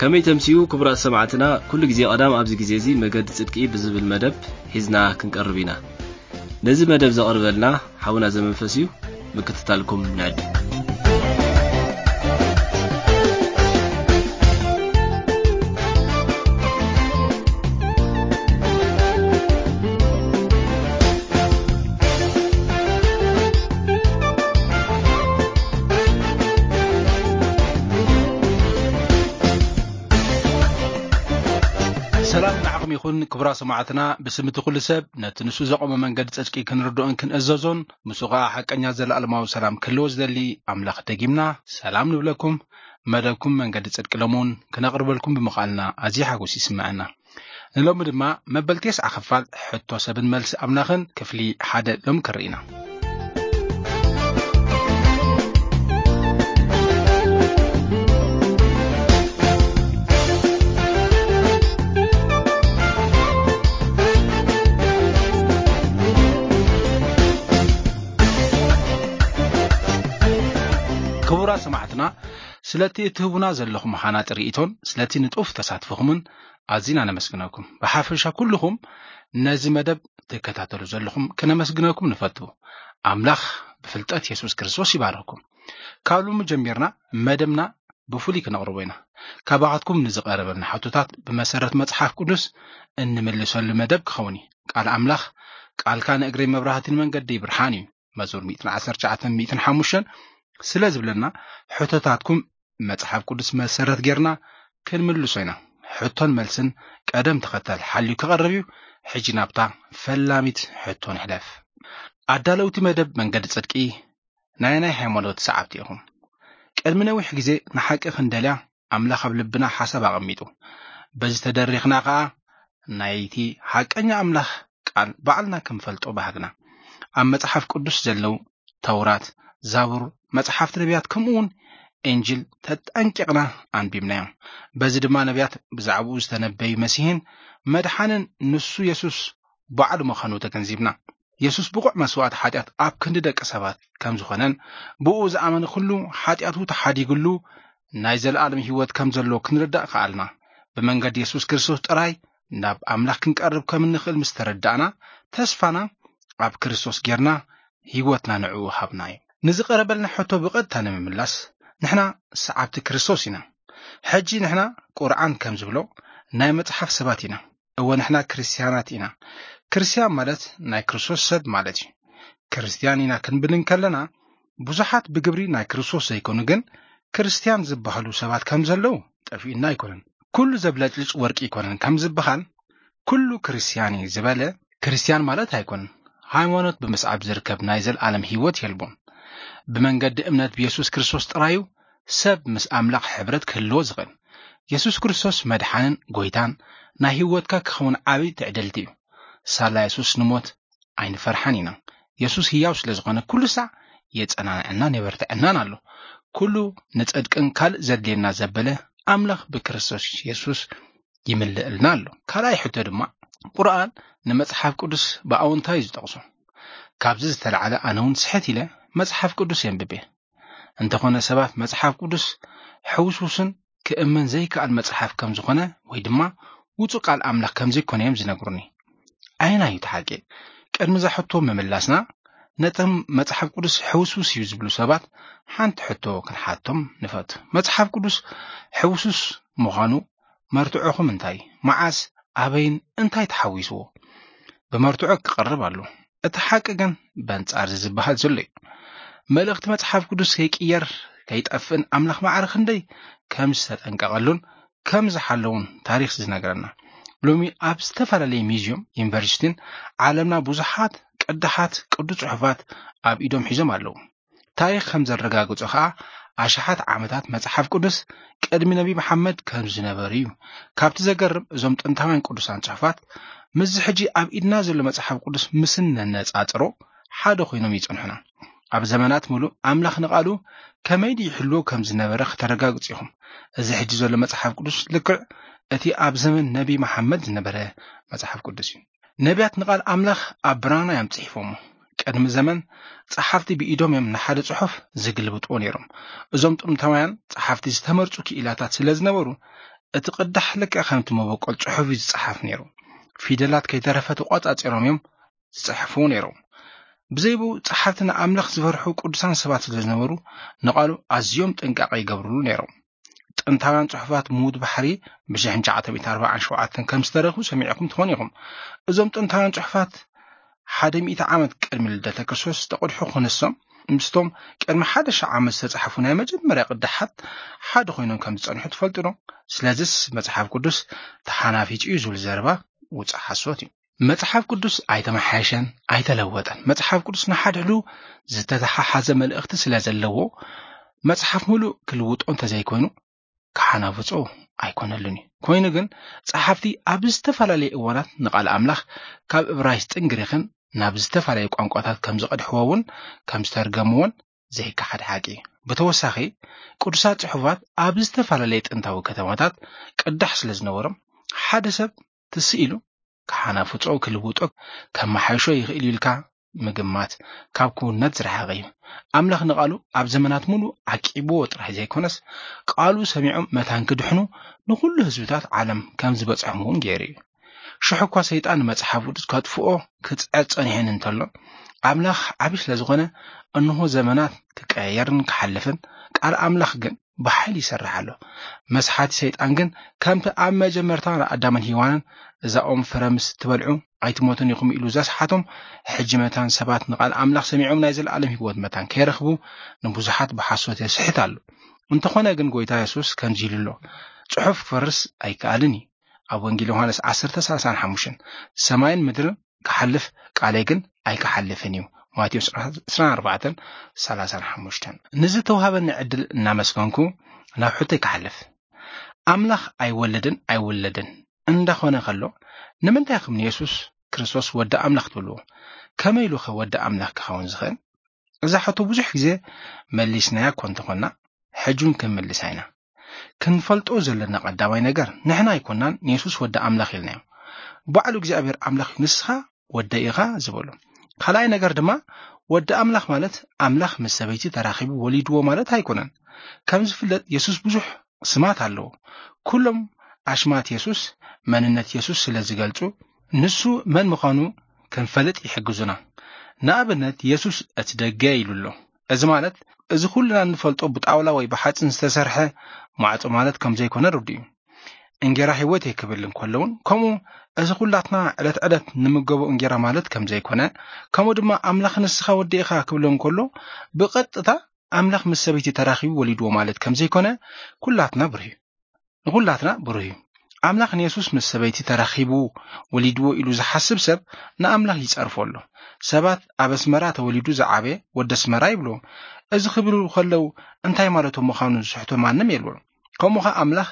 ከመይ ተምስዩ ክቡራት ሰማዕትና፣ ኩሉ ግዜ ቀዳም ኣብዚ ግዜ እዚ መገዲ ጽድቂ ብዝብል መደብ ሒዝና ክንቀርብ ኢና። ነዚ መደብ ዘቕርበልና ሓውና ዘመንፈስ እዩ። ምክትታልኩም ንዕድም። ሰላም ንዓኹም ይኹን ክቡራ ሰማዕትና። ብስም እቲ ኩሉ ሰብ ነቲ ንሱ ዘቆመ መንገዲ ጽድቂ ክንርድኦን ክንእዘዞን፣ ምስኡ ኸዓ ሓቀኛ ዘለኣለማዊ ሰላም ክህልዎ ዝደሊ ኣምላኽ ደጊምና ሰላም ንብለኩም። መደብኩም መንገዲ ጽድቂ ሎምውን ክነቕርበልኩም ብምኽኣልና ኣዝዩ ሓጎስ ይስምዐና። ንሎሚ ድማ መበል ተስዓ ክፋል ሕቶ ሰብን መልሲ ኣምላኽን ክፍሊ ሓደ ሎም ክርኢና። ክቡራት ሰማዕትና፣ ስለቲ እትህቡና ዘለኹም ሃናጢ ርእይቶን ስለቲ ንጡፍ ተሳትፎኹምን ኣዚና ነመስግነኩም። ብሓፈሻ ኩልኹም ነዚ መደብ ትከታተሉ ዘለኹም ክነመስግነኩም ንፈቱ። ኣምላኽ ብፍልጠት የሱስ ክርስቶስ ይባርኽኩም። ካብ ሎሚ ጀሚርና መደብና ብፍሉይ ክነቕርቦ ኢና። ካባኻትኩም ንዝቐረበልና ሕቶታት ብመሰረት መጽሓፍ ቅዱስ እንምልሰሉ መደብ ክኸውን እዩ። ቃል ኣምላኽ፣ "ቃልካ ንእግረይ መብራህትን መንገዲ ብርሃን እዩ" መዝሙር ሚእትን ዓሰርተ ትሽዓተን ሚእትን ሓሙሽተን ስለ ዝብለና፣ ሕቶታትኩም መጽሓፍ ቅዱስ መሰረት ጌርና ክንምልሶ ኢና። ሕቶን መልስን ቀደም ተኸተል ሓልዩ ክቐርብ እዩ። ሕጂ ናብታ ፈላሚት ሕቶ ንሕለፍ። ኣዳለውቲ መደብ መንገዲ ጽድቂ፣ ናይ ናይ ሃይማኖት ሰዓብቲ ኢኹም። ቅድሚ ነዊሕ ግዜ ንሓቂ ክንደልያ ኣምላኽ ኣብ ልብና ሓሳብ ኣቐሚጡ። በዚ ተደሪኽና ኸኣ ናይቲ ሓቀኛ ኣምላኽ ቃል ባዕልና ክንፈልጦ ባህግና። ኣብ መጽሓፍ ቅዱስ ዘለዉ ተውራት፣ ዛቡር፣ መጽሓፍቲ ነቢያት፣ ከምኡ እውን እንጅል ተጠንቂቕና ኣንቢብናዮም። በዚ ድማ ነቢያት ብዛዕባኡ ዝተነበዩ መሲሕን መድሓንን ንሱ የሱስ ባዕሉ ምዃኑ ተገንዚብና። የሱስ ብቑዕ መስዋእቲ ሓጢኣት ኣብ ክንዲ ደቂ ሰባት ከም ዝኾነን ብኡ ዝኣመነ ኩሉ ሓጢኣቱ ተሓዲግሉ ናይ ዘለኣለም ህይወት ከም ዘለዎ ክንርዳእ ከኣልና። ብመንገዲ የሱስ ክርስቶስ ጥራይ ናብ ኣምላኽ ክንቀርብ ከም እንኽእል ምስ ተረዳእና፣ ተስፋና ኣብ ክርስቶስ ጌርና ህይወትና ንዕኡ ሃብና እዩ። ንዝቐረበልና ሕቶ ብቐጥታ ንምምላስ፣ ንሕና ሰዓብቲ ክርስቶስ ኢና። ሕጂ ንሕና ቁርኣን ከም ዝብሎ ናይ መጽሓፍ ሰባት ኢና። እወ፣ ንሕና ክርስትያናት ኢና። ክርስትያን ማለት ናይ ክርስቶስ ሰብ ማለት እዩ። ክርስትያን ኢና ክንብል እንከለና፣ ብዙሓት ብግብሪ ናይ ክርስቶስ ዘይኮኑ ግን ክርስትያን ዝበሃሉ ሰባት ከም ዘለዉ ጠፊኡና ኣይኮነን። ኩሉ ዘብለጭልጭ ወርቂ ኣይኮነን ከም ዝበሃል፣ ኩሉ ክርስትያን እዩ ዝበለ ክርስትያን ማለት ኣይኮነን። ሃይማኖት ብምስዓብ ዝርከብ ናይ ዘለኣለም ህይወት የልቦን። ብመንገዲ እምነት ብየሱስ ክርስቶስ ጥራዩ ሰብ ምስ ኣምላኽ ሕብረት ክህልዎ ዝኽእል። የሱስ ክርስቶስ መድሓንን ጎይታን ናይ ህይወትካ ክኸውን ዓቢ ትዕድልቲ እዩ። ሳላ የሱስ ንሞት ኣይንፈርሓን ኢና። የሱስ ህያው ስለ ዝኾነ ኩሉ ሳዕ የጸናንዐናን የበርትዐናን ኣሎ። ኩሉ ንጽድቅን ካልእ ዘድልየና ዘበለ ኣምላኽ ብክርስቶስ የሱስ ይምልእልና ኣሎ። ካልኣይ ሕቶ ድማ፣ ቁርኣን ንመጽሓፍ ቅዱስ ብኣወንታ እዩ ዝጠቕሶ። ካብዚ ዝተላዕለ ኣነ እውን ስሕት ኢለ መጽሓፍ ቅዱስ የንብብ እየ። እንተኾነ ሰባት መጽሓፍ ቅዱስ ሕውስውስን ክእመን ዘይከኣል መጽሓፍ ከም ዝኾነ ወይ ድማ ውጹእ ቃል ኣምላኽ ከም ዘይኮነ እዮም ዝነግሩኒ። ኣየናይ እዩ እቲ ሓቂ? ቅድሚ እዛ ሕቶ ምምላስና፣ ነቶም መጽሓፍ ቅዱስ ሕውስውስ እዩ ዝብሉ ሰባት ሓንቲ ሕቶ ክንሓቶም ንፈቱ። መጽሓፍ ቅዱስ ሕውስውስ ምዃኑ መርትዖኹም እንታይ? መዓስ፣ ኣበይን እንታይ ተሓዊስዎ? ብመርትዖ ክቐርብ ኣሎ። እቲ ሓቂ ግን በንጻር እዚ ዝበሃል ዘሎ እዩ። መልእኽቲ መጽሓፍ ቅዱስ ከይቅየር፣ ከይጠፍእን ኣምላኽ ማዕረ ክንደይ ከም ዝተጠንቀቐሉን ከም ዝሓለውን ታሪኽ ዝነግረና። ሎሚ ኣብ ዝተፈላለዩ ሚዝዮም፣ ዩኒቨርሲቲን ዓለምና ብዙሓት ቅዳሓት ቅዱስ ጽሑፋት ኣብ ኢዶም ሒዞም ኣለዉ። ታሪኽ ከም ዘረጋግጾ ኸኣ፣ ኣሽሓት ዓመታት መጽሓፍ ቅዱስ ቅድሚ ነቢ መሓመድ ከም ዝነበሩ እዩ። ካብቲ ዘገርም፣ እዞም ጥንታውያን ቅዱሳን ጽሑፋት ምስዚ ሕጂ ኣብ ኢድና ዘሎ መጽሓፍ ቅዱስ ምስ እነነጻጽሮ፣ ሓደ ኮይኖም ይጸንሑና። ኣብ ዘመናት ምሉእ ኣምላኽ ንቓሉ ከመይ ድዩ ይሕልዎ ከም ዝነበረ ከተረጋግጹ ኢኹም። እዚ ሕጂ ዘሎ መጽሓፍ ቅዱስ ልክዕ እቲ ኣብ ዘመን ነቢ መሓመድ ዝነበረ መጽሓፍ ቅዱስ እዩ። ነቢያት ንቓል ኣምላኽ ኣብ ብራና እዮም ጽሒፎሞ። ቅድሚ ዘመን ጸሓፍቲ ብኢዶም እዮም ንሓደ ጽሑፍ ዝግልብጥዎ ነይሮም። እዞም ጥንታውያን ጸሓፍቲ ዝተመርጹ ክኢላታት ስለ ዝነበሩ፣ እቲ ቅዳሕ ልክዕ ከምቲ መበቆል ጽሑፍ እዩ ዝጸሓፍ ነይሩ። ፊደላት ከይተረፈ ተቖጻጺሮም እዮም ዝጽሕፉ ነይሮም። ብዘይብኡ ጸሓፍቲ ንኣምላኽ ዝፈርሑ ቅዱሳን ሰባት ስለ ዝነበሩ፣ ንቓሉ ኣዝዮም ጥንቃቐ ይገብርሉ ነይሮም። ጥንታውያን ጽሑፋት ምዉት ባሕሪ ብ ሽሕን ትሽዓተ ሚእትን ኣርባዓን ሸውዓተን ከም ዝተረኽቡ ሰሚዕኩም ትኾኑ ኢኹም። እዞም ጥንታውያን ጽሑፋት ሓደ ሚእቲ ዓመት ቅድሚ ልደተ ክርስቶስ ዝተቐድሑ ክነሶም፣ ምስቶም ቅድሚ ሓደ ሺሕ ዓመት ዝተጻሕፉ ናይ መጀመርያ ቅዳሓት ሓደ ኮይኖም ከም ዝጸንሑ ትፈልጡ ዶ? ስለዚስ መጽሓፍ ቅዱስ ተሓናፊጹ እዩ ዝብል ዘረባ ውጹእ ሓሶት እዩ። መጽሓፍ ቅዱስ ኣይተመሓየሸን፣ ኣይተለወጠን። መጽሓፍ ቅዱስ ንሓድሕዱ ዝተተሓሓዘ መልእኽቲ ስለ ዘለዎ፣ መጽሓፍ ምሉእ ክልውጦ እንተዘይኮይኑ፣ ክሓናፍጾ ኣይኮነሉን እዩ። ኮይኑ ግን፣ ጸሓፍቲ ኣብ ዝተፈላለየ እዋናት ንቓል ኣምላኽ ካብ እብራይስጥን ግሪኽን ናብ ዝተፈላለየ ቋንቋታት ከም ዝቐድሕዎ እውን፣ ከም ዝተርገምዎን ዘይከሓድ ሓቂ እዩ። ብተወሳኺ፣ ቅዱሳት ጽሑፋት ኣብ ዝተፈላለየ ጥንታዊ ከተማታት ቅዳሕ ስለ ዝነበሮም፣ ሓደ ሰብ ትስኢሉ ክሓናፍጾ፣ ክልውጦ፣ ከመሓይሾ ይኽእል እዩ ኢልካ ምግማት ካብ ክውንነት ዝረሓቐ እዩ። ኣምላኽ ንቓሉ ኣብ ዘመናት ሙሉ ዓቂብዎ ጥራይ ዘይኮነስ፣ ቃሉ ሰሚዖም መታን ክድሕኑ ንኹሉ ህዝብታት ዓለም ከም ዝበጽሖም እውን ገይሩ እዩ። ሽሕ እኳ ሰይጣን ንመጽሓፍ ቅዱስ ከጥፍኦ ክጽዕር ጸኒሑን እንተሎ፣ ኣምላኽ ዓቢ ስለ ዝኾነ፣ እንሆ ዘመናት ክቀያየርን ክሓልፍን፣ ቃል ኣምላኽ ግን ብሓይሊ ይሰርሕ ኣሎ። መስሓቲ ሰይጣን ግን ከምቲ ኣብ መጀመርታ ንኣዳምን ሄዋንን እዛ ኦም ፍረ ምስ ትበልዑ ኣይትሞቱን ኢኹም ኢሉ ዘስሓቶም፣ ሕጂ መታን ሰባት ንቓል ኣምላኽ ሰሚዖም ናይ ዘለኣለም ህይወት መታን ከይረኽቡ ንብዙሓት ብሓሶት የስሕት ኣሎ። እንተኾነ ግን ጎይታ የሱስ ከምዚ ኢሉ ኣሎ፣ ጽሑፍ ክፈርስ ኣይከኣልን እዩ። ኣብ ወንጌል ዮሃንስ ዓሰርተ ሰላሳን ሓሙሽተን፣ ሰማይን ምድርን ክሓልፍ ቃለይ ግን ኣይክሓልፍን እዩ። ማቴዎስ ዕስራን ኣርባዕተን ሰላሳን ሓሙሽተን። ንዝተዋሃበኒ ዕድል እናመስገንኩ ናብ ሕቶይ ክሓልፍ። ኣምላኽ ኣይወለድን ኣይውለድን እንዳኾነ ከሎ፣ ንምንታይ ከም ንየሱስ ክርስቶስ ወዲ ኣምላኽ ትብልዎ? ከመይ ኢሉ ኸ ወዲ ኣምላኽ ክኸውን ዝኽእል? እዛ ሕቶ ብዙሕ ግዜ መሊስናያ እኮ እንተኾንና፣ ሕጂ እውን ክንምልሳ ኢና። ክንፈልጦ ዘለና ቀዳማይ ነገር፣ ንሕና ኣይኮንናን ንየሱስ ወዲ ኣምላኽ ኢልናዮ። ባዕሉ እግዚኣብሔር ኣምላኽ እዩ፣ ንስኻ ወደይ ኢኻ ዝበሎ። ካልኣይ ነገር ድማ፣ ወዲ ኣምላኽ ማለት ኣምላኽ ምስ ሰበይቲ ተራኺቡ ወሊድዎ ማለት ኣይኮነን። ከም ዝፍለጥ፣ የሱስ ብዙሕ ስማት ኣለዎ። ኩሎም ኣሽማት የሱስ መንነት የሱስ ስለ ዝገልጹ፣ ንሱ መን ምዃኑ ክንፈልጥ ይሕግዙና። ንኣብነት፣ የሱስ እቲ ደገ ኢሉ ኣሎ። እዚ ማለት፣ እዚ ኩልና እንፈልጦ ብጣውላ ወይ ብሓጺን ዝተሰርሐ ማዕጾ ማለት ከም ዘይኮነ ርዱእ እዩ። እንጌራ ህይወት እየ ክብል እንከሎ እውን፣ ከምኡ እዚ ኩላትና ዕለት ዕለት ንምገቦ እንጌራ ማለት ከም ዘይኮነ፣ ከምኡ ድማ ኣምላኽ ንስኻ ወዲ ኢኻ ክብሎ እንከሎ፣ ብቐጥታ ኣምላኽ ምስ ሰበይቲ ተራኺቡ ወሊድዎ ማለት ከም ዘይኮነ ኩላትና ብርህ እዩ። ንኹላትና ብሩህ እዩ። ኣምላኽ ንየሱስ ምስ ሰበይቲ ተራኺቡ ወሊድዎ ኢሉ ዝሓስብ ሰብ ንኣምላኽ ይጸርፎ ኣሎ። ሰባት ኣብ ኣስመራ ተወሊዱ ዝዓበየ ወዲ ኣስመራ ይብልዎ። እዚ ክብሉ ከለዉ እንታይ ማለቶም ምዃኑ ዝስሕቶ ማንም የልቦን። ከምኡ ኸኣ ኣምላኽ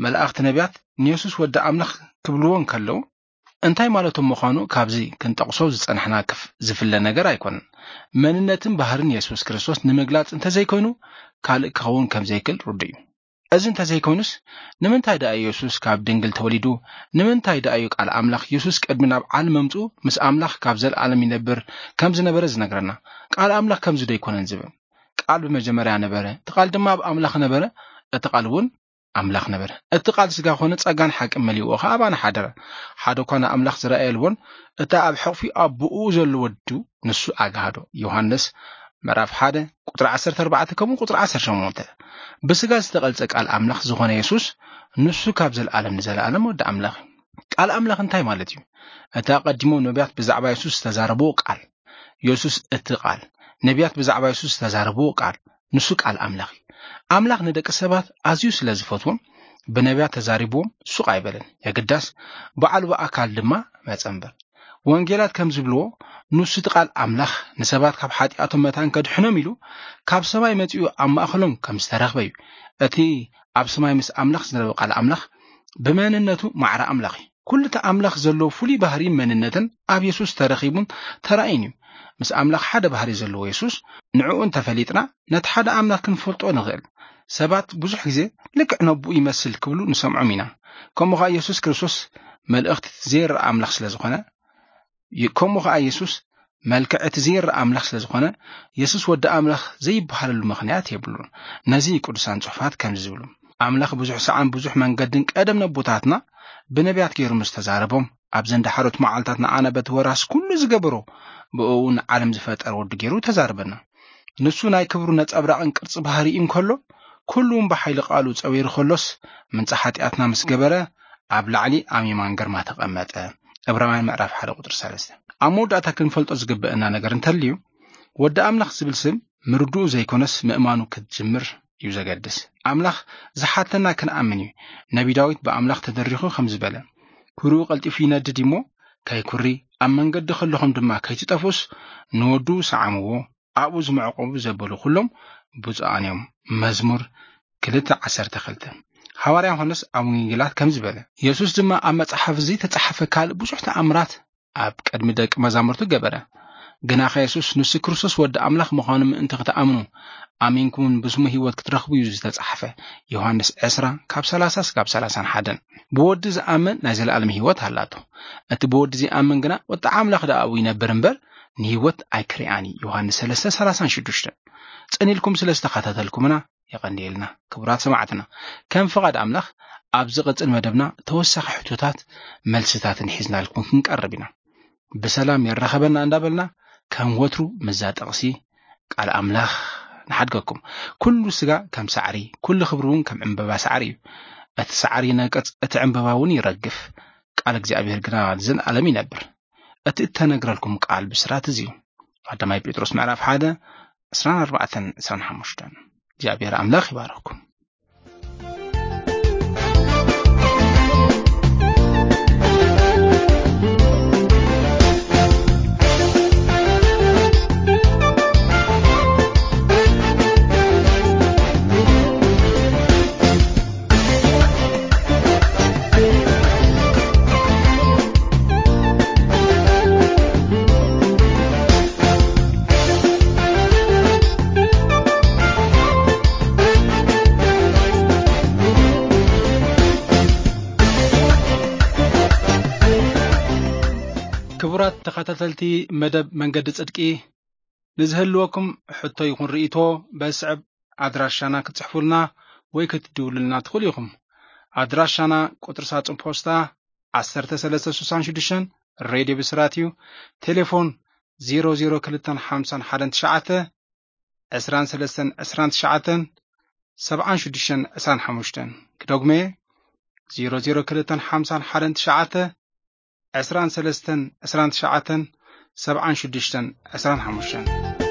መላእኽቲ ነቢያት ንየሱስ ወዲ ኣምላኽ ክብልዎ እንከለዉ እንታይ ማለቶም ምዃኑ ካብዚ ክንጠቕሶ ዝጸናሕና ክፍ-፣ ዝፍለ ነገር ኣይኮነን። መንነትን ባህርን የሱስ ክርስቶስ ንምግላጽ እንተዘይኮይኑ ካልእ ክኸውን ከም ዘይክእል ርዱእ እዩ። እዚ እንተዘይኮይኑስ፣ ንምንታይ ደኣ ኢየሱስ ካብ ድንግል ተወሊዱ? ንምንታይ ደኣ እዩ ቃል ኣምላኽ ኢየሱስ ቅድሚ ናብ ዓለም ምምጽኡ ምስ ኣምላኽ ካብ ዘለኣለም ይነብር ከም ዝነበረ ዝነግረና? ቃል ኣምላኽ ከምዚ ዶ ኣይኮነን ዝብል? ቃል ብመጀመርያ ነበረ፣ እቲ ቃል ድማ ኣብ ኣምላኽ ነበረ፣ እቲ ቃል እውን ኣምላኽ ነበረ። እቲ ቃል ስጋ ኾነ፣ ጸጋን ሓቅን መሊእዎ ኸኣ ኣባና ሓደረ። ሓደ እኳ ንኣምላኽ ዝረኣየ የልቦን፣ እቲ ኣብ ሕቕፊ ኣቦኡ ዘሎ ወዱ ንሱ ኣግሃዶ። ዮሃንስ ምዕራፍ ሓደ ቁጽሪ ዓሰርተ ኣርባዕተ ከምኡ ቁጽሪ ዓሰርተ ሸሞንተ። ብስጋ ዝተቐልጸ ቃል ኣምላኽ ዝኾነ የሱስ ንሱ ካብ ዘለኣለም ንዘለኣለም ወዲ ኣምላኽ እዩ። ቃል ኣምላኽ እንታይ ማለት እዩ? እቲ ኣቐዲሞም ነቢያት ብዛዕባ የሱስ ዝተዛረብዎ ቃል። የሱስ እቲ ቃል። ነቢያት ብዛዕባ የሱስ ዝተዛረብዎ ቃል። ንሱ ቃል ኣምላኽ እዩ። ኣምላኽ ንደቂ ሰባት ኣዝዩ ስለ ዝፈትዎም ብነቢያት ተዛሪብዎም ሱቕ ኣይበለን። የግዳስ ባዕሉ ብኣካል ድማ መጸ እምበር። ወንጌላት ከም ዝብልዎ፣ ንሱ እቲ ቃል ኣምላኽ ንሰባት ካብ ሓጢኣቶም መታን ከድሕኖም ኢሉ ካብ ሰማይ መጺኡ ኣብ ማእከሎም ከም ዝተረኽበ እዩ። እቲ ኣብ ሰማይ ምስ ኣምላኽ ዝነበረ ቃል ኣምላኽ ብመንነቱ ማዕረ ኣምላኽ እዩ። ኩሉ እቲ ኣምላኽ ዘለዎ ፍሉይ ባህሪን መንነትን ኣብ የሱስ ተረኺቡን ተራእዩን እዩ። ምስ ኣምላኽ ሓደ ባህሪ ዘለዎ የሱስ፣ ንዕኡ እንተፈሊጥና፣ ነቲ ሓደ ኣምላኽ ክንፈልጦ ንኽእል። ሰባት ብዙሕ ግዜ ልክዕ ነቦኡ ይመስል ክብሉ ንሰምዖም ኢና። ከምኡ ኸኣ የሱስ ክርስቶስ መልእኽቲ ዘይረኣ ኣምላኽ ስለ ዝኾነ፣ ይ-፣ ከምኡ ኸኣ የሱስ መልክዕ እቲ ዘይረኣ ኣምላኽ ስለ ዝኾነ፣ የሱስ ወዲ ኣምላኽ ዘይበሃለሉ ምኽንያት የብሉን። ነዚ ቅዱሳን ጽሑፋት ከምዚ ዝብሉ፣ ኣምላኽ ብዙሕ ሰዓን ብዙሕ መንገድን ቀደም ነቦታትና ብነቢያት ገይሩ ምስ ተዛረቦም፣ ኣብዘን ዳሕሮት መዓልታት ንኣና በቲ ወራስ ኩሉ ዝገበሮ፣ ብእኡ ንዓለም ዝፈጠረ ወዱ ገይሩ ተዛርበና። ንሱ ናይ ክብሩ ነጸብራቕን ቅርጺ ባህሪኡ እንከሎ፣ ኩሉ እውን ብሓይሊ ቃሉ ጸዊሩ ከሎስ፣ ምንጻ ሓጢኣትና ምስ ገበረ፣ ኣብ ላዕሊ ኣብ የማን ግርማ ተቐመጠ። ዕብራውያን ምዕራፍ ሓደ ቁጽሪ ሰለስተ። ኣብ መወዳእታ ክንፈልጦ ዝግበአና ነገር እንተልዩ፣ ወዲ ኣምላኽ ዝብል ስም ምርድኡ ዘይኮነስ ምእማኑ ክትጅምር እዩ ዘገድስ። ኣምላኽ ዝሓተና ክንኣምን እዩ። ነቢ ዳዊት ብኣምላኽ ተደሪኹ ከም ዝበለ፣ "ኩርኡ ቀልጢፉ ይነድድ እሞ ከይኩሪ፣ ኣብ መንገዲ ከለኹም ድማ ከይትጠፍኡስ፣ ንወዱ ሰዓምዎ፣ ኣብኡ ዝመዕቆቡ ዘበሉ ኩሎም ብፁዓን እዮም።" መዝሙር ክልተ ዓሰርተ ክልተ። ሃዋርያ ዮሃንስ ኣብ ወንጌላት ከም ዝበለ፣ የሱስ ድማ ኣብ መጽሓፍ ዘይተጻሕፈ ካልእ ብዙሕ ተኣምራት ኣብ ቅድሚ ደቂ መዛሙርቱ ገበረ። ግናኸ የሱስ ንሱ ክርስቶስ ወዲ ኣምላኽ ምዃኑ ምእንቲ ክትኣምኑ፣ ኣሚንኩምን ብስሙ ህይወት ክትረኽቡ እዩ ዝተጻሕፈ። ዮሃንስ ዕስራ ካብ ሰላሳ እስካብ ሰላሳን ሓደን። ብወዲ ዝኣምን ናይ ዘለኣለም ህይወት ኣላቶ። እቲ ብወዲ ዘይኣምን ግና ቁጥዓ ኣምላኽ ደኣ ኣብኡ ይነብር እምበር ንህይወት ኣይክርኣን እዩ። ዮሃንስ ሰለስተ ሰላሳን ሽዱሽተን። ጸኒልኩም ስለ ዝተኸታተልኩምና የቐንየልና። ክቡራት ሰማዕትና፣ ከም ፍቓድ ኣምላኽ ኣብ ዝቕጽል መደብና ተወሳኺ ሕቶታት መልስታትን ሒዝናልኩም ክንቀርብ ኢና። ብሰላም የራኸበና እንዳበልና ከም ወትሩ ምዛ ጥቕሲ ቃል ኣምላኽ ንሓድገኩም። "ኩሉ ስጋ ከም ሳዕሪ፣ ኩሉ ክብሪ እውን ከም ዕምበባ ሳዕሪ እዩ። እቲ ሳዕሪ ይነቅጽ፣ እቲ ዕምበባ እውን ይረግፍ፣ ቃል እግዚኣብሔር ግና ንዘለኣለም ይነብር። እቲ እተነግረልኩም ቃል ብስራት እዚ እዩ።" ቀዳማይ ጴጥሮስ ምዕራፍ ሓደ ዕስራን ኣርባዕተን ዕስራን ሓሙሽተን። እግዚኣብሔር ኣምላኽ ይባርኽኩም። ክቡራት ተኸታተልቲ መደብ መንገዲ ጽድቂ፣ ንዝህልወኩም ሕቶ ይኹን ርእይቶ በስዕብ ኣድራሻና ክትጽሕፉልና ወይ ክትድውሉልና ትኽእሉ ኢኹም። ኣድራሻና ቁጽሪ ሳጹን ፖስታ ዓሰርተ ሰለስተ ስሳን ሽዱሽተን፣ ሬድዮ ብስራት እዩ። ቴሌፎን ዜሮ ዜሮ ክልተን ሓምሳን ሓደን ትሽዓተ፣ ዕስራን ሰለስተን ዕስራን ትሽዓተን፣ ሰብዓን ሽዱሽተን ዕስራን ሓሙሽተን። ክደግሞ እየ፣ ዜሮ ዜሮ ክልተን ሓምሳን ሓደን ትሽዓተ፣ ዕስራን ሰለስተን ዕስራን ትሽዓተን፣ ሰብዓን ሽዱሽተን ዕስራን ሓሙሽተን።